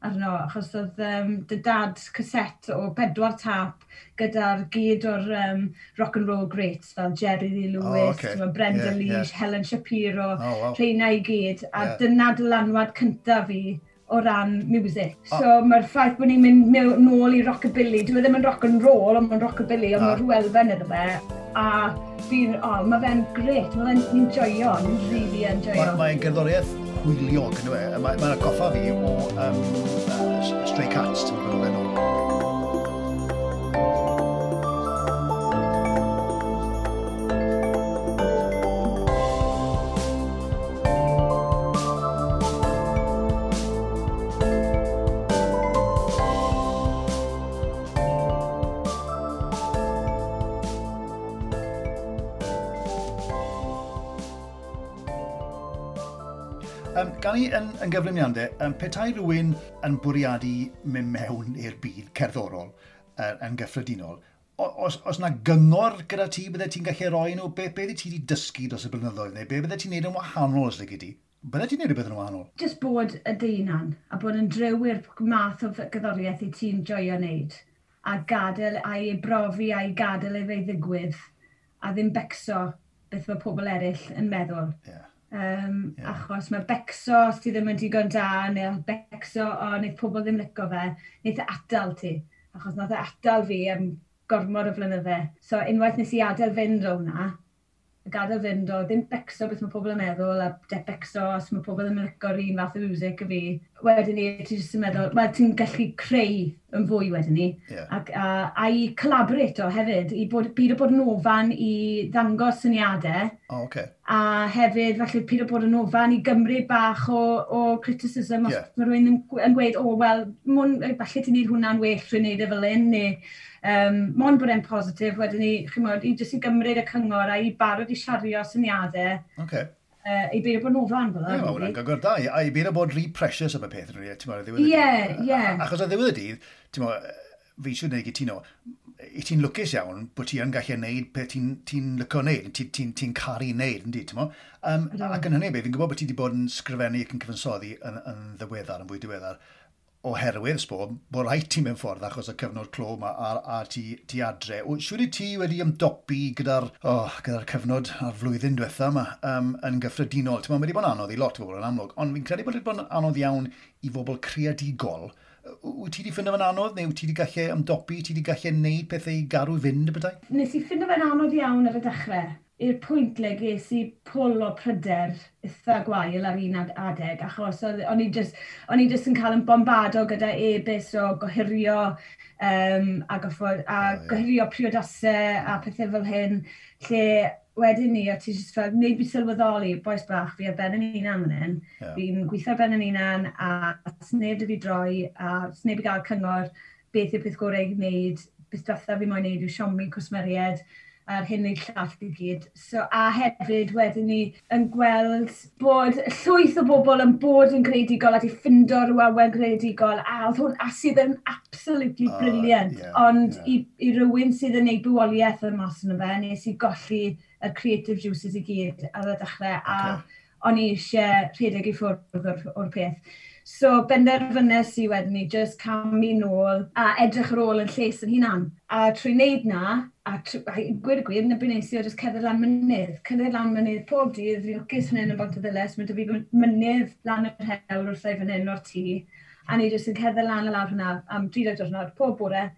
arno, achos oedd um, dy dad cassette o bedwar tap gyda'r gyd o'r um, rock and roll greats fel Jerry Lee Lewis, Oh, ocê. t'mod, Brenda Ie, Lee, ie. Helen Shapiro, Oh, wow. rheina i gyd, a Ie. dyna dylanwad cynta fi o ran music. O. So mae'r ffaith bod ni'n mynd mew- nôl i rockabilly, dyw e ddim yn rock and roll, ond mae'n rockabilly, ond Na. mae rhyw elfen iddo fe. A fi'n, o, oh, mae fe'n gret, mae fe'n ni'n joio, ni'n really yn joio. Mae'n mae gerddoriaeth hwyliog, yn e? Mae'n mae atgoffa fi o um, uh, Stray Cats, ti'n meddwl, yn ôl. Um, gan i yn, yn gyflym iawn de, um, petai rhywun yn bwriadu mynd mewn i'r byd cerddorol uh, yn gyffredinol, o- os, os na gyngor gyda ti, bydde ti'n gallu roi nhw, be, be ti wedi dysgu dros y blynyddoedd, neu be bydde ti'n neud yn wahanol os lici di? Bydde ti'n neud rhywbeth yn wahanol? Just bod y dy hunan, a bod yn driw i'r math o gerddoriaeth i ti'n joio wneud, a gadael a'i brofi a'i gadael ei fe ddigwydd, a ddim becso beth mae pobl eraill yn meddwl. Yeah. Um, Ie. yeah. Achos mae becso os ti ddim yn digon da, neu becso o wneith pobl ddim lico fe, wneith e atal ti. Achos nath e atal fi am gormod o flynydde. So unwaith nes i adael fynd o hwnna, A gadael fynd o ddim becso beth mae pobl yn meddwl, a de becso os mae pobl ddim yn lico'r un fath o music y fi. Wedyn ni, ti jyst yn meddwl, wel, ti'n gallu creu yn fwy wedyn ni. Yeah. Ac, a, a i collaborate o hefyd, i bod, byd o bod yn ofan i ddangos syniadau. Oh, okay. A hefyd, falle, pyd o bod yn ofan i gymryd bach o, o criticism os Ie. mae rhywun yn, yn gweud, "O, wel, mwyn, falle ti'n neud hwnna'n well trwy wneud e fel hyn," neu um, mond bod e'n positif, wedyn ni, chimod, i jyst i gymryd y cyngor a i barod i siario syniadau, Okay. uh, i beidio bod yn ofan fel Ie, mae hwnna'n really. gyngor da. A i beidio bod rhy precious am y peth, ti'n meddwl, ar ddiwedd y Ie, dydd. ie. Achos ar ddiwedd y dydd, ti'n meddwl, fi eisiau gwneud gytuno, i ti'n lwcus iawn bod ti yn gallu neud beth ti'n ti licio neud, ti'n ti, ti caru neud, yndi, ti'n mo? Um, Ydw. ac yn hynny beth, fi'n gwybod bod ti wedi bod yn sgrifennu ac yn cyfansoddi yn, yn ddiweddar, yn fwy diweddar, oherwydd, sbo, bod rhaid ti mewn ffordd achos y cyfnod clo yma a, a ti, ti adre. O, Siwr i ti wedi ymdopi gyda'r oh, gyda cyfnod a'r flwyddyn diwetha yma um, yn gyffredinol? Ti'n meddwl, mae wedi bod yn anodd i lot o bobl yn amlwg, ond fi'n credu bod wedi bod yn anodd iawn i bobl creadigol. Wyt ti wedi ffindo fe'n anodd, neu wyt ti wedi gallu ymdopi, ti wedi gallu neud pethau i garw fynd y bydau? Nes i ffindo fe'n anodd iawn ar y dechrau. I'r pwynt le ges i pwl o pryder eitha gwael ar un ad- adeg, achos oedd- o'n i just, o'n i just yn cael yn bombardo gyda e-byst o gohirio, um, a, goffod, a O, ie. gohirio priodasau a pethau fel hyn, lle wedyn ni, o ti just fel, wneud fi sylweddoli, bois bach, fi ar ben yn hunan fan hyn, Ie. fi'n gweithio ar ben yn hunan, a sneb 'da fi droi, a sneb i gael cyngor beth yw'r peth gorau i wneud, beth diwetha fi moyn wneud yw siomi cwsmeriaid, a'r hyn neu'r llall i gyd. So, a hefyd wedyn ni yn gweld bod llwyth o bobl yn bod yn greadigol a di ffindo rhyw awen greadigol a, oedd hwn, a sydd yn absolutely Oh, brilliant. ie, Ond ie. i, i rywun sydd yn neud bywoliaeth yn mas yno fe, nes i golli y creative juices i gyd ar y dechrau a Ocê. o'n i eisiau rhedeg i ffwrdd o'r, o'r peth. So benderfynes i wedyn ni just camu nôl a edrych ar ôl yn lles yn hunan. A trwy wneud na, a, tr a gwir y gwir, na beth nes i o just cerdded lan mynydd. Cerdded lan mynydd pob dydd, fi'n lwcus fan hyn yn Bontyddilys, mae 'da fi mynydd lan yr hewl wrtha i fan hyn o'r tŷ. A ni jyst yn cerdded lan a lawr hwnna am dri deg diwrnod pob bore.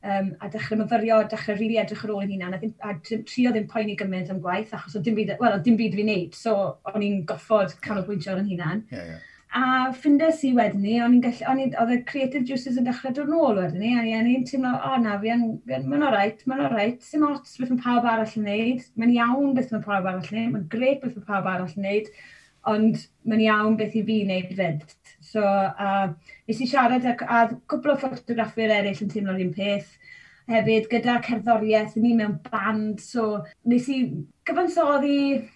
Um, a dechrau myfyrio, dechrau rili really edrych ar ôl yn hunan, a, ddim, a trio ddim poeni gymaint am gwaith, achos oedd dim byd, wel, oedd dim byd fi'n neud, so o'n i'n goffod canolbwyntio ar yn hunan. Ie, ie. A ffindes i wedyn ni, o'n i'n gallu, o'n i'n, oedd y creative juices yn dechrau dod nôl wedyn ni, a o'n i'n teimlo, o na, fi yn, fi yn, mae'n alright, mae'n alright, sim ots beth mae pawb arall yn neud, mae'n iawn beth mae pawb arall yn neud, mae'n grêt beth mae pawb arall yn neud, ond mae'n iawn beth i fi wneud fyd. So, uh, nes i siarad â, a cwpl o ffotograffwyr eraill yn teimlo'r un peth. Hefyd, gyda cerddoriaeth, ni mewn band, so nes i gyfansoddi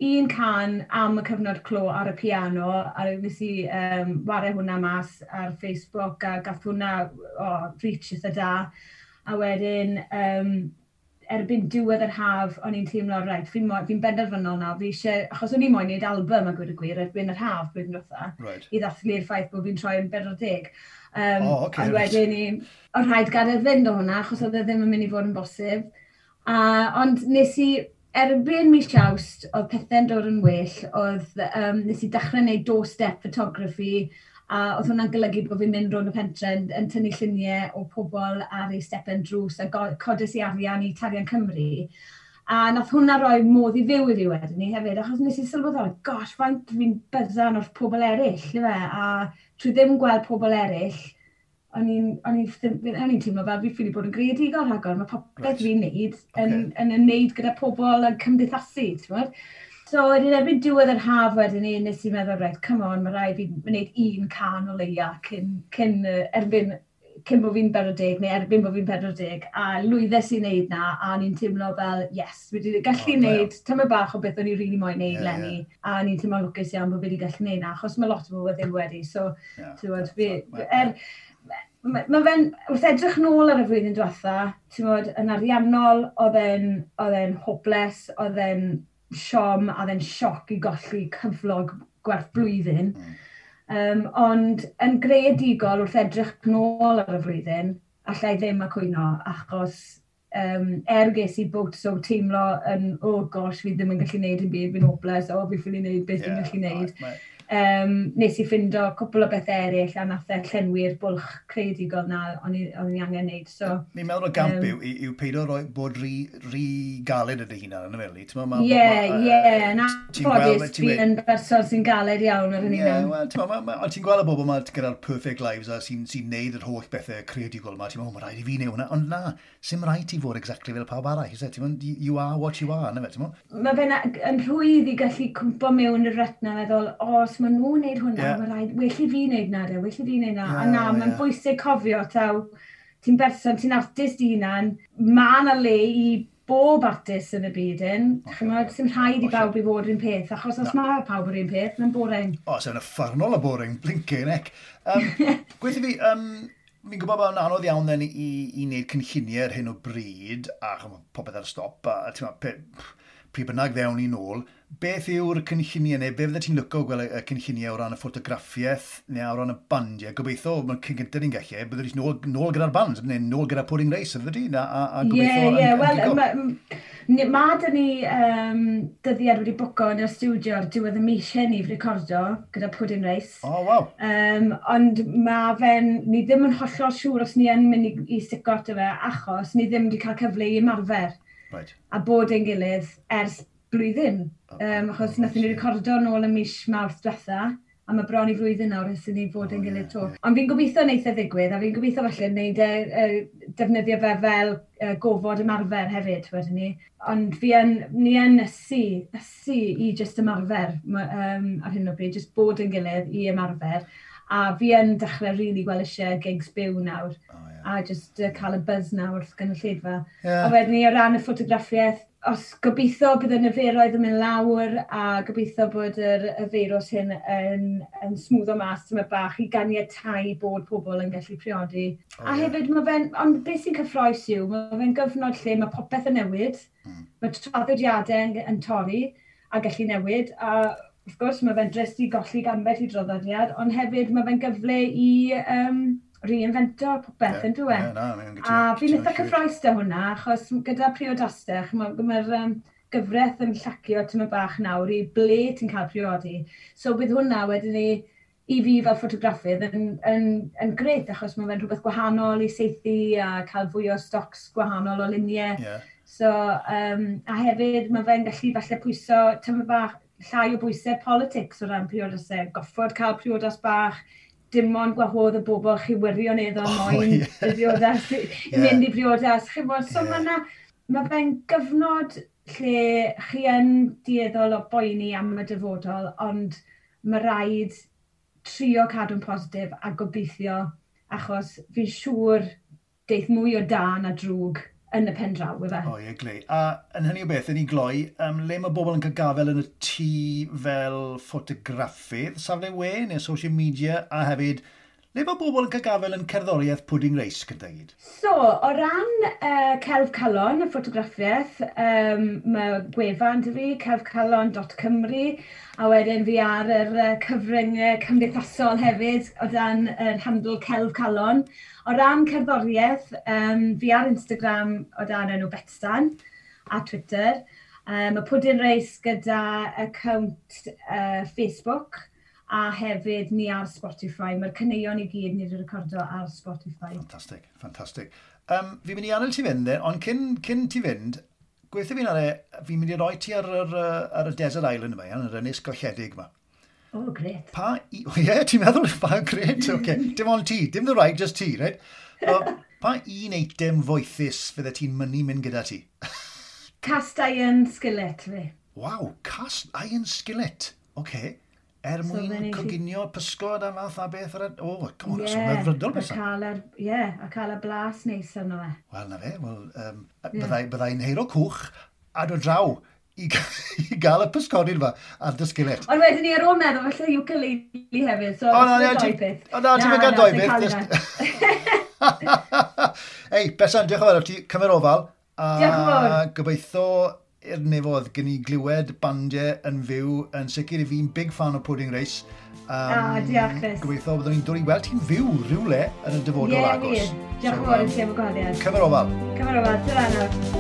un cân am y cyfnod clo ar y piano, a nes i um, ware hwnna mas ar Facebook, a gath hwnna oh, reach eitha da. A wedyn, um, erbyn diwedd yr haf, o'n i'n teimlo, reit, fi'n fi benderfynol nawr, fi eisiau, achos o'n i moyn neud album a gweud y gwir, erbyn yr haf blwyddyn diwetha, Right. i ddathlu'r ffaith bod fi'n troi yn bedwar deg. Um, O, ocê, Ond reit. wedyn ni, o rhaid gadael fynd o hwnna, achos oedd e ddim yn mynd i fod yn bosib. A, ond nes i, erbyn mis Awst, oedd pethau'n dod yn well, oedd, um, nes i dechrau gwneud doorstep photography, a oedd hwnna'n golygu bod fi'n mynd rownd y pentre yn, yn tynnu lluniau o pobl ar eu stepen drws a go- codes i arian i Tarian Cymru. A nath hwnna roi modd i fyw i fi wedyn ni hefyd, achos nes i sylweddoli, gosh, faint fi'n byddan wrth pobl eraill, ife? A trwy ddim gweld pobl eraill, o'n i'n o'n i'n o'n i'n teimlo fel fi ffili bod yn greadigol rhagor. Mae popeth Reit. fi'n neud yn, Ocê. yn ymwneud gyda pobl yn cymdeithasu, ti'n gwbod? So wedyn erbyn diwedd yr haf wedyn ni, nes i meddwl, reit, come on, mae rhaid fi wneud un cân o leia cyn, cyn uh, erbyn cyn bod fi'n pedwar deg neu erbyn bod fi'n pedwar deg, a lwyddes i wneud na, a o'n i'n teimlo fel, yes, fi wedi gallu O, da iawn. wneud tyma bach o beth o'n i really moyn wneud Ie, leni, a o'n i'n teimlo'n lwcus iawn bod fi wedi gallu wneud na, achos mae lot o bobl ddim wedi, so, Ie. ti'n gwbod, fi, Ma- er, mae ma fe'n, wrth edrych nôl ar y flwyddyn diwetha, ti'n gwbod, yn ariannol, oedd e'n oedd e'n hopeless, oedd e'n siom, a oedd e'n sioc i golli cyflog gwerth blwyddyn. Mm. Um, ond yn greadigol wrth edrych nôl ar y flwyddyn, allai ddim a cwyno, achos um, er ges i bwt so teimlo yn, oh gosh, fi ddim yn gallu neud yn byd, fi'n hopeless, o, fi ffili neud beth fi'n Ie, gallu neud. mae- um, nes i ffindo cwpl o bethau eraill a nath e llenwi'r bwlch creadigol na o'n i, o'n i angen neud. So, Ni'n meddwl o gamp um, yw, yw peidio roi, bod rhy, rhy galed yn dy hunan, yn y fel. Ie, ie, na ffodus, fi yn berson sy'n galed iawn ar hynny. Ie, wel, ond ti'n gweld y bobl yma gyda'r perfect lives a sy'n sy neud yr holl bethau creadigol yma, ti'n meddwl, mae rhaid i fi neud hwnna, ond na, sy'm rhaid ti fod exactly fel pawb arall, is it? Ti'n meddwl, you are what you are, na fe, ti'n meddwl? Mae fe'n yn rhwydd i gallu cwmpo mewn i'r rut na, meddwl, o, os maen nhw'n neud hwnna, yeah. Mae rhaid, well i fi neud na, de, well i fi neud na. Yeah, a na, mae'n yeah. bwysig cofio, taw, ti'n berson, ti'n artist i hunan, mae yna le i bob artist yn y byd un. Chimod, sy'n rhaid i bawb i fod yr un peth, achos os mae pawb yr un peth, mae'n boring. O, sy'n uffernol o boring, blinking heck. Um, Gweithio fi, um, fi'n gwybod bod yn anodd iawn then i, i wneud cynlluniau ar hyn o bryd, a ch'mo, popeth ar stop, a ti'n meddwl, pryd bynnag ddewn ni nôl, beth yw'r cynlluniau neu be fydde ti'n licio gweld y cynlluniau o ran y ffotograffiaeth neu o ran y bandiau? Gobeithio, mae'n cyn gyntaf ni'n gallu, byddwn ni'n nôl, nôl gyda'r band, neu nôl gyda Pudding Race, fydde ti? A, a, a gobeithio Ie, ie, yn, wel, yn gigo. ma, ma dyn ni um, dyddiad wedi bwco yn y stiwdio ar diwedd y mis hyn i recordo gyda Pudding Race. O, oh, waw. Um, ond mae fe'n, ni ddim yn hollol siŵr os ni yn mynd i, i stico ato fe, achos ni ddim wedi cael cyfle i ymarfer Right. a bod ein gilydd ers blwyddyn. Um, achos oh, nathon ni recordo nôl ym mis Mawrth diwetha, a mae bron i flwyddyn nawr ers i ni fod yn gilydd to. Ond fi'n gobeithio wneith e ddigwydd, a fi'n gobeithio falle wneud e, e, defnyddio fe fel e, gofod ymarfer hefyd, wedyn ni. Ond fi yn, ni yn ysu, ysu i just ymarfer um, ar hyn o bryd, just bod yn gilydd i ymarfer. A fi yn dechrau really really gweld eisiau gigs byw nawr. Oh, yeah. A just uh, cael y buzz nawr wrth gynulleidfa. Yeah. A wedyn ni o ran y ffotograffiaeth, os gobeithio bydd y niferoedd yn mynd lawr a gobeithio bod yr, y feirws hyn yn, yn smwddo mas tyma bach i ganiatáu bod pobl yn gallu priodi. Oh, a ie. hefyd, mae fe'n, ond beth sy'n cyffrous yw, mae fe'n gyfnod lle mae popeth yn newid, Mm. mae traddodiadau yn, yn torri a gallu newid, a wrth gwrs mae fe'n drist i golli ambell i draddodiad, ond hefyd mae fe'n gyfle i um, reinvento popeth, Ie, yn dyw e? Ie, na, mae'n A fi'n eitha cyffrous da hwnna, achos gyda priodasau, mae'r ma um, gyfraith yn llacio tyma bach nawr i ble ti'n cael priodi. So bydd hwnna wedyn ni, i fi fel ffotograffydd yn, yn, yn gret, achos mae fe'n rhywbeth gwahanol i saethu a cael fwy o stocs gwahanol o luniau. Ie. So, um, a hefyd mae fe'n gallu falle pwyso tyma bach llai o bwysau politics o ran priodasau. Goffod cael priodas bach, dim ond gwahodd y bobl chi wirioneddol Oh, moyn ie. y briodas, i Ie. mynd i briodas. Chimod, so Ie. yeah. mae ma fe'n gyfnod lle chi yn dueddol o boeni am y dyfodol, ond mae rhaid trio cadw'n positif a gobeithio, achos fi'n siŵr deith mwy o da na drwg yn y pen draw, ife. O, ie, glei. A yn hynny o beth, yn i gloi, um, le mae bobl yn cael gafel yn y tŷ fel ffotograffydd, safle we neu social media, a hefyd, le mae bobl yn cael gafel yn cerddoriaeth Pudding Race gyda gyd? So, o ran uh, Celf Calon, y ffotograffiaeth, um, mae gwefan 'da fi, celfcalon dot cymru, a wedyn fi ar yr uh, cyfryngau cymdeithasol hefyd, o dan yr handle Celf Calon. O ran cerddoriaeth, um, fi ar Instagram o dan enw Betsan a Twitter. Um, y Pudding Race gyda account uh, Facebook, a hefyd ni ar Spotify. Mae'r caneuon i gyd ni wedi recordo ar Spotify. Ffantastig, ffantastig. Um, fi'n mynd i adael ti fynd, ond cyn, cyn ti fynd, gweithio fi'n ar e, fi'n mynd i roi ti ar, yr, yy, ar y Desert Island yma, iawn, yr ynys golledig yma. O, oh, gret. Pa, i, o ie, ti'n meddwl, pa, gret, oce. Okay. Dim ond ti, dim the right, just ti, right? O, pa un eitem foethus fydde ti'n mynnu mynd gyda ti? Cast iron skillet fi. Waw, cast iron skillet. Oce. Okay. Er So mwyn then i chi- coginio pysgod a fath a beth ar y... O, oh, come on, Ie, yeah, hyfrydol a beth. cael yr, ie, a cael y blas neis arno fe. Wel, na fe, wel, um, Ie. byddai, byddai'n heiro cwch a dod draw i, i gael y pysgodyn yma ar dy skillet. Ond wedyn ni ar ôl meddwl, falle ukulele hefyd, so O, na, na, na, doi ti- peth. o, na, ti'm yn cael doi sy'n beth, cael just- hynna. Ei, Betsan, diolch yn fawr, ti cymer ofal. A Diolch yn fawr. Gobeithio i'r nefoedd gen i glywed bandiau yn fyw. Yn sicr i fi'n big fan o Pudding Race. Um, Ah, diolch, Chris. Gobeithio byddwn ni'n dod i weld ti'n fyw rhywle yn y dyfodol Ie, agos. wir. Diolch yn fawr i ti am y gwahoddiad. Cymer ofal. Cymer ofal, tyra nawr.